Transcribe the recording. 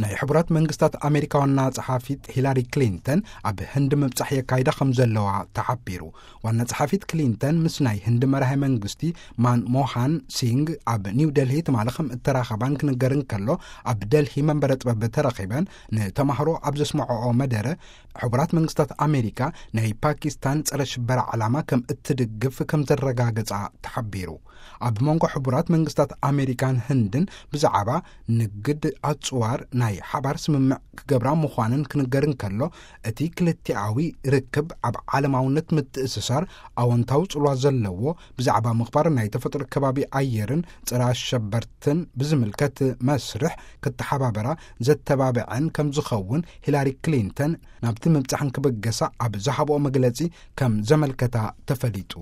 ናይ ሕቡራት መንግስታት ኣሜሪካ ዋና ጸሓፊት ሂላሪ ክሊንተን ኣብ ህንዲ ምብጻሕ የካይዳ ከም ዘለዋ ተሓቢሩ። ዋና ጸሓፊት ክሊንተን ምስ ናይ ህንዲ መራሒ መንግስቲ ማን ሞሃን ሲንግ ኣብ ኒው ደልሂ ትማሊ ከም እተራኸባን ክንገር እንከሎ፣ ኣብ ደልሂ መንበረ ጥበብ ተረኺበን ንተማህሮ ኣብ ዘስምዐኦ መደረ፣ ሕቡራት መንግስታት ኣሜሪካ ናይ ፓኪስታን ጸረ ሽበራ ዕላማ ከም እትድግፍ ከም ዘረጋገጻ ተሓቢሩ። ኣብ መንጎ ሕቡራት መንግስታት ኣሜሪካን ህንድን ብዛዕባ ንግድ ኣጽዋር ናይ ሓባር ስምምዕ ክገብራ ምዃንን ክንገር እንከሎ፣ እቲ ክልቲኣዊ ርክብ ኣብ ዓለማውነት ምትእስሳር ኣወንታዊ ጽልዋ ዘለዎ፣ ብዛዕባ ምኽባር ናይ ተፈጥሮ ከባቢ ኣየርን ጸረ ኣሸበርትን ብዝምልከት መስርሕ ክተሓባበራ ዘተባብዐን ከም ዝኸውን ሂላሪ ክሊንተን ናብቲ ምብጻሕን ክብገሳ ኣብ ዝሃብኦ መግለጺ ከም ዘመልከታ ተፈሊጡ።